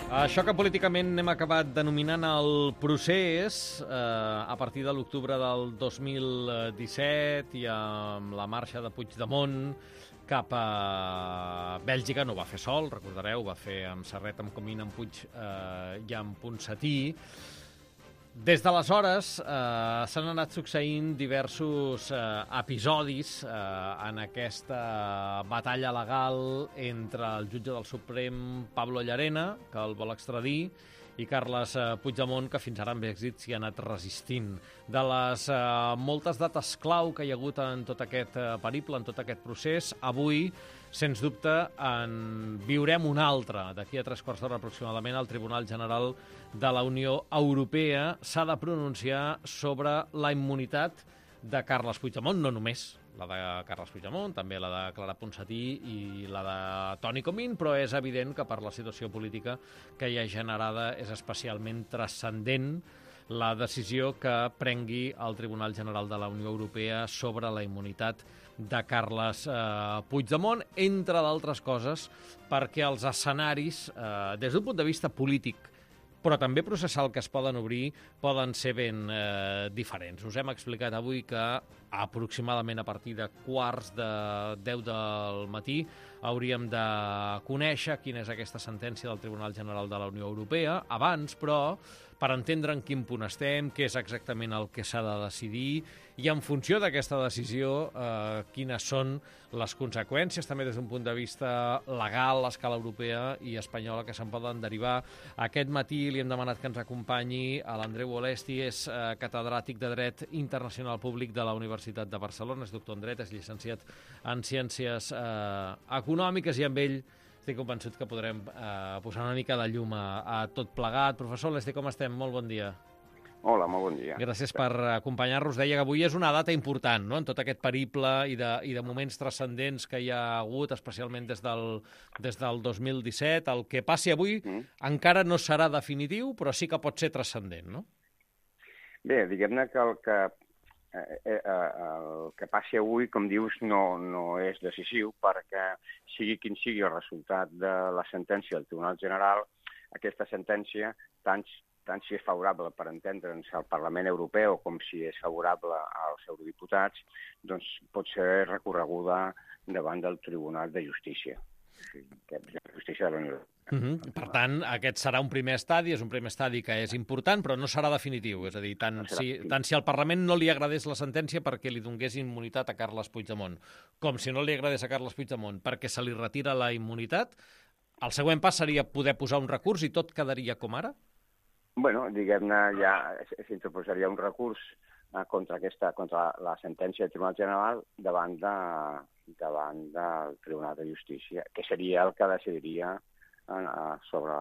Això que políticament hem acabat denominant el procés, a partir de l'octubre del 2017 i amb la marxa de Puigdemont cap a Bèlgica, no ho va fer sol, recordareu, ho va fer amb Serret, amb Comín, amb Puig i amb Ponsatí. Des d'aleshores s'han anat succeint diversos episodis en aquesta batalla legal entre el jutge del Suprem, Pablo Llarena, que el vol extradir, i Carles Puigdemont, que fins ara amb èxit s'hi ha anat resistint. De les moltes dates clau que hi ha hagut en tot aquest periple, en tot aquest procés, avui, sens dubte, en viurem una altra. D'aquí a 3 quarts d'hora aproximadament, el Tribunal General de la Unió Europea s'ha de pronunciar sobre la immunitat de Carles Puigdemont, no només la de Carles Puigdemont, també la de Clara Ponsatí i la de Toni Comín, però és evident que per la situació política que hi ha generada és especialment transcendent la decisió que prengui el Tribunal General de la Unió Europea sobre la immunitat de Carles Puigdemont, entre d'altres coses, perquè els escenaris, des d'un punt de vista polític, però també processal que es poden obrir, poden ser ben diferents. Us hem explicat avui que aproximadament a partir de 9:15 del matí hauríem de conèixer quina és aquesta sentència del Tribunal General de la Unió Europea. Abans, però, per entendre en quin punt estem, què és exactament el que s'ha de decidir i en funció d'aquesta decisió quines són les conseqüències, també des d'un punt de vista legal, a escala europea i espanyola, que se'n poden derivar. Aquest matí li hem demanat que ens acompanyi a l'Andreu Olesti, és catedràtic de Dret Internacional Públic de la Universitat de Barcelona, és doctor en Dret, és llicenciat en Ciències Econòmiques i amb ell estic convençut que podrem posar una mica de llum a tot plegat. Professor Olesti, com estem? Molt bon dia. Hola, molt bon dia. Gràcies per acompanyar-nos. Deia que avui és una data important, no?, en tot aquest periple i de moments transcendents que hi ha hagut, especialment des del 2017. El que passi avui encara no serà definitiu, però sí que pot ser transcendent, no? Bé, diguem-ne que el que passi avui, com dius, no és decisiu, perquè sigui quin sigui el resultat de la sentència del Tribunal General, aquesta sentència, tant si és favorable, per entendre'ns, al Parlament Europeu com si és favorable als eurodiputats, doncs pot ser recorreguda davant del Tribunal de Justícia, que és la Justícia de la Unió Europea. Per tant, aquest serà un primer estadi, és un primer estadi que és important, però no serà definitiu. És a dir, tant si al Parlament no li agradés la sentència perquè li donés immunitat a Carles Puigdemont, com si no li agradés a Carles Puigdemont perquè se li retira la immunitat, el següent pas seria poder posar un recurs i tot quedaria com ara? Bueno, diguem-ne, ja s'interposaria un recurs contra la sentència del Tribunal General davant del Tribunal de Justícia, que seria el que decidiria sobre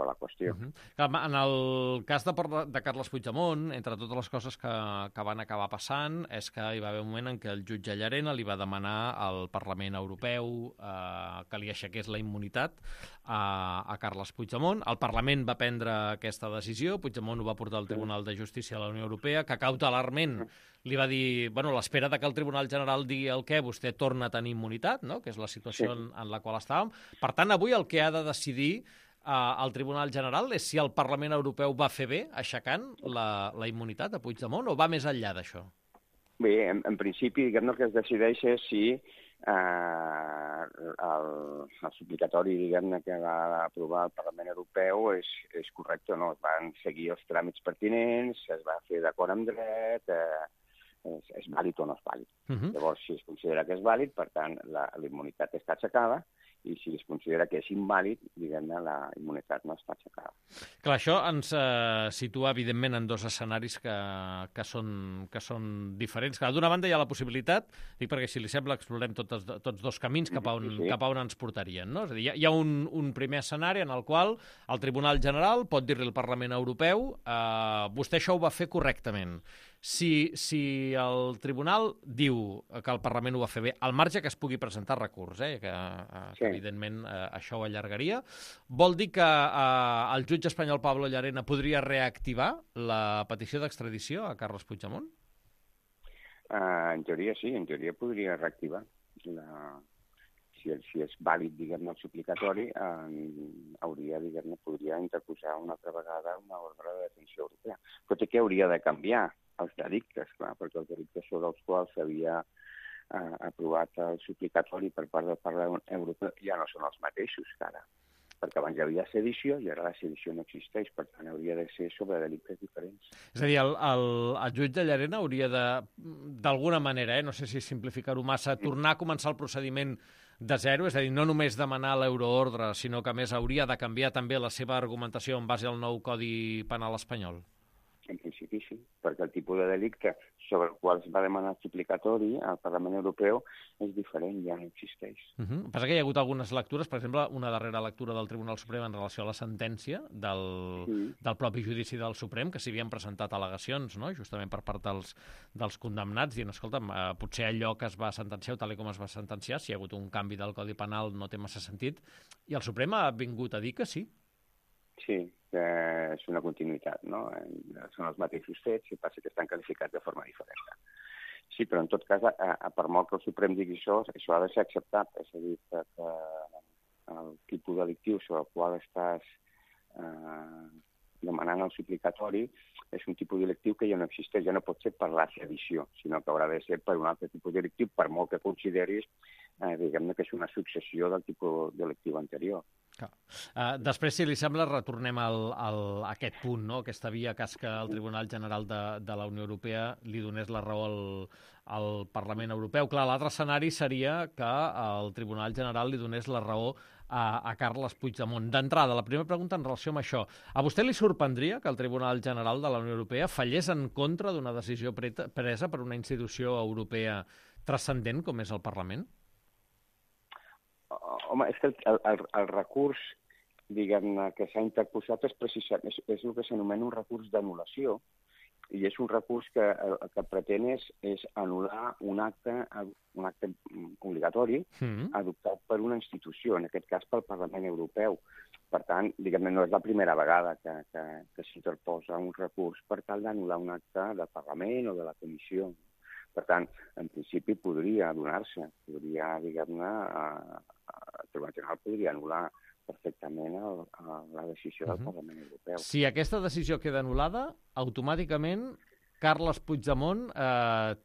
la qüestió. En el cas de Carles Puigdemont, entre totes les coses que van acabar passant, és que hi va haver un moment en què el jutge Llarena li va demanar al Parlament Europeu que li aixequés la immunitat a Carles Puigdemont. El Parlament va prendre aquesta decisió, Puigdemont ho va portar al Tribunal de Justícia de la Unió Europea, que cautelarment li va dir, bueno, a l'espera que el Tribunal General digui el què, vostè torna a tenir immunitat, no?, que és la situació en la qual estàvem. Per tant, avui el que ha de decidir el Tribunal General és si el Parlament Europeu va fer bé aixecant la immunitat a Puigdemont o va més enllà d'això? Bé, en principi, diguem-ne, el que es decideix és si el suplicatori, diguem-ne, que va aprovar el Parlament Europeu és correcte o no. Es van seguir els tràmits pertinents, es va fer d'acord amb dret, és vàlid o no és vàlid. Llavors, si es considera que és vàlid, per tant, la immunitat està aixecada, i si es considera que és invàlid, diguem-ne, la immunitat no està aixecada. Clar, això ens situa, evidentment, en dos escenaris que són diferents. D'una banda, hi ha la possibilitat, dic perquè si li sembla explorem tots dos camins cap a on ens portarien, no? És a dir, hi ha un primer escenari en el qual el Tribunal General pot dir-li al Parlament Europeu vostè això ho va fer correctament. Si el Tribunal diu que el Parlament ho va fer bé, al marge que es pugui presentar recurs, que evidentment això ho allargaria, vol dir que el jutge espanyol Pablo Llarena podria reactivar la petició d'extradició a Carles Puigdemont? En teoria sí, en teoria podria reactivar. si és vàlid, diguem-ne, el suplicatori, hauria, diguem-ne, podria interposar una altra vegada una ordre de detenció europea. Tot i que hauria de canviar els delictes, clar, perquè els delictes sobre els quals s'havia aprovat el suplicatori per part del Parlament Europeu ja no són els mateixos que ara, perquè abans hi havia sedició i ara la sedició no existeix, per tant hauria de ser sobre delictes diferents. És a dir, el jutge de Llarena hauria d'alguna manera, no sé si simplificar-ho massa, tornar a començar el procediment de zero, és a dir, no només demanar l'euroordre, sinó que a més hauria de canviar també la seva argumentació en base al nou Codi Penal espanyol? En principi sí, perquè el tipus de delicte sobre el qual es va demanar el suplicatori al Parlament Europeu és diferent, ja no existeix. Passa que hi ha hagut algunes lectures, per exemple, una darrera lectura del Tribunal Suprem en relació a la sentència del propi judici del Suprem, que s'hi havien presentat al·legacions, no?, justament per part dels condemnats, dient, escolta'm, potser allò que es va sentenciar o tal com es va sentenciar, si hi ha hagut un canvi del Codi Penal no té massa sentit, i el Suprem ha vingut a dir que sí. Sí, que és una continuïtat, no? Són els mateixos fets, i passa que estan qualificats de forma diferent. Sí, però en tot cas, per molt que el Suprem digui això ha de ser acceptat. És a dir, que el tipus delictiu sobre el qual estàs demanant el suplicatori és un tipus delictiu que ja no existeix, ja no pot ser per la sedició, sinó que haurà de ser per un altre tipus delictiu, per molt que consideris, diguem-ne, que és una successió del tipus delictiu anterior. Després, si li sembla, retornem a aquest punt, no?, aquesta via cas que el Tribunal General de la Unió Europea li donés la raó al Parlament Europeu. Clar, l'altre escenari seria que el Tribunal General li donés la raó a Carles Puigdemont. D'entrada, la primera pregunta en relació amb això. A vostè li sorprendria que el Tribunal General de la Unió Europea fallés en contra d'una decisió presa per una institució europea transcendent com és el Parlament? Home, és que el recurs, diguem-ne, que s'ha interposat és el que s'anomena un recurs d'anul·lació, i és un recurs que el que pretén és anul·lar un acte obligatori adoptat per una institució, en aquest cas pel Parlament Europeu. Per tant, diguem-ne, no és la primera vegada que s'interposa un recurs per tal d'anul·lar un acte del Parlament o de la Comissió. Per tant, en principi podria donar-se, diguem-ne, el Tribunal General podria anul·lar perfectament la decisió del Parlament Europeu. Si aquesta decisió queda anul·lada, automàticament Carles Puigdemont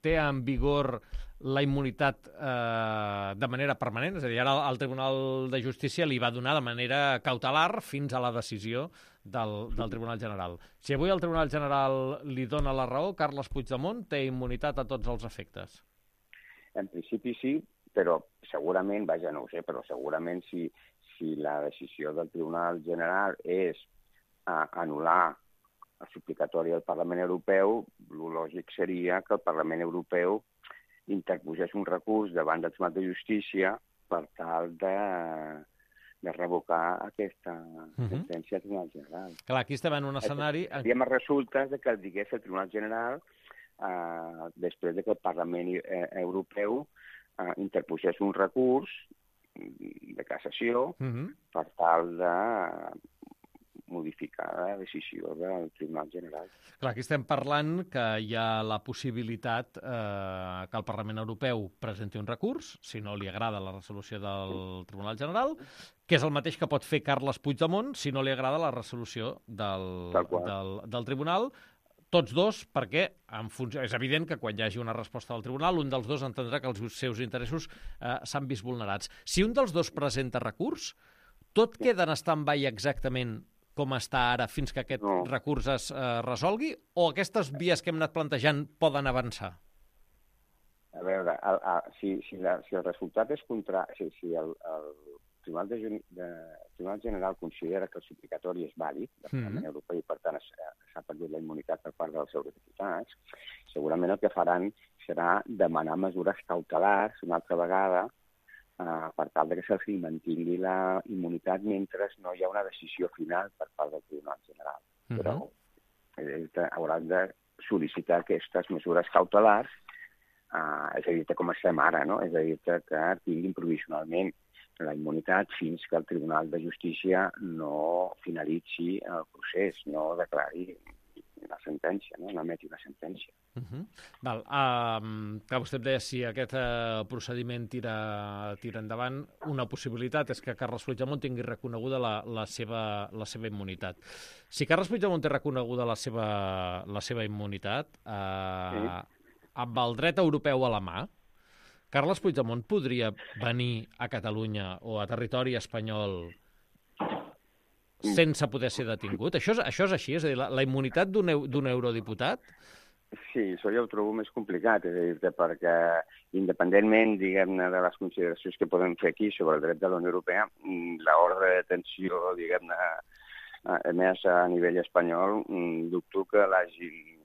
té en vigor la immunitat de manera permanent, és a dir, ara el Tribunal de Justícia li va donar de manera cautelar fins a la decisió del Tribunal General. Si avui el Tribunal General li dona la raó, Carles Puigdemont té immunitat a tots els efectes. En principi sí, però segurament, no ho sé, però segurament si la decisió del Tribunal General és anul·lar el suplicatori del Parlament Europeu, el lògic seria que el Parlament Europeu interposés un recurs davant del Tribunal de Justícia per tal de revocar aquesta sentència del Tribunal General. Clar, aquí estem en un escenari... Hi ha resultes que el digués el Tribunal General després que el Parlament Europeu interposés un recurs de cassació per tal de modificar la decisió del Tribunal General. Clar, aquí estem parlant que hi ha la possibilitat que el Parlament Europeu presenti un recurs, si no li agrada la resolució del Tribunal General, que és el mateix que pot fer Carles Puigdemont si no li agrada la resolució del Tribunal. Tots dos, perquè és evident que quan hi hagi una resposta del Tribunal, un dels dos entendrà que els seus interessos s'han vist vulnerats. Si un dels dos presenta recurs, tot queda en stand-by exactament com està ara fins que aquest recurs es resolgui, o aquestes vies que hem anat plantejant poden avançar? A veure, si el resultat és contrari, si el Tribunal General considera que el suplicatori és vàlid del Parlament Europeu i, per tant, s'ha perdut la immunitat per part dels eurodiputats, segurament el que faran serà demanar mesures cautelars una altra vegada per tal que se'ls mantingui la immunitat mentre no hi ha una decisió final per part del Tribunal General. Però hauran de sol·licitar aquestes mesures cautelars, és a dir, com estem ara, no? És a dir, que tinguin provisionalment la immunitat fins que el Tribunal de Justícia no finalitzi el procés, no declari la sentència, no emeti una sentència. Val. Que vostè em deia si aquest procediment tira endavant, una possibilitat és que Carles Puigdemont tingui reconeguda la seva immunitat. Si Carles Puigdemont té reconeguda la seva immunitat, amb el dret europeu a la mà, Carles Puigdemont podria venir a Catalunya o a territori espanyol sense poder ser detingut? Això és així? És a dir, la immunitat d'un eurodiputat? Sí, això ja ho trobo més complicat, és a dir, perquè independentment, diguem-ne, de les consideracions que podem fer aquí sobre el dret de la Unió Europea, l'ordre de detenció, diguem-ne, emès a nivell espanyol, dubto que l'hagin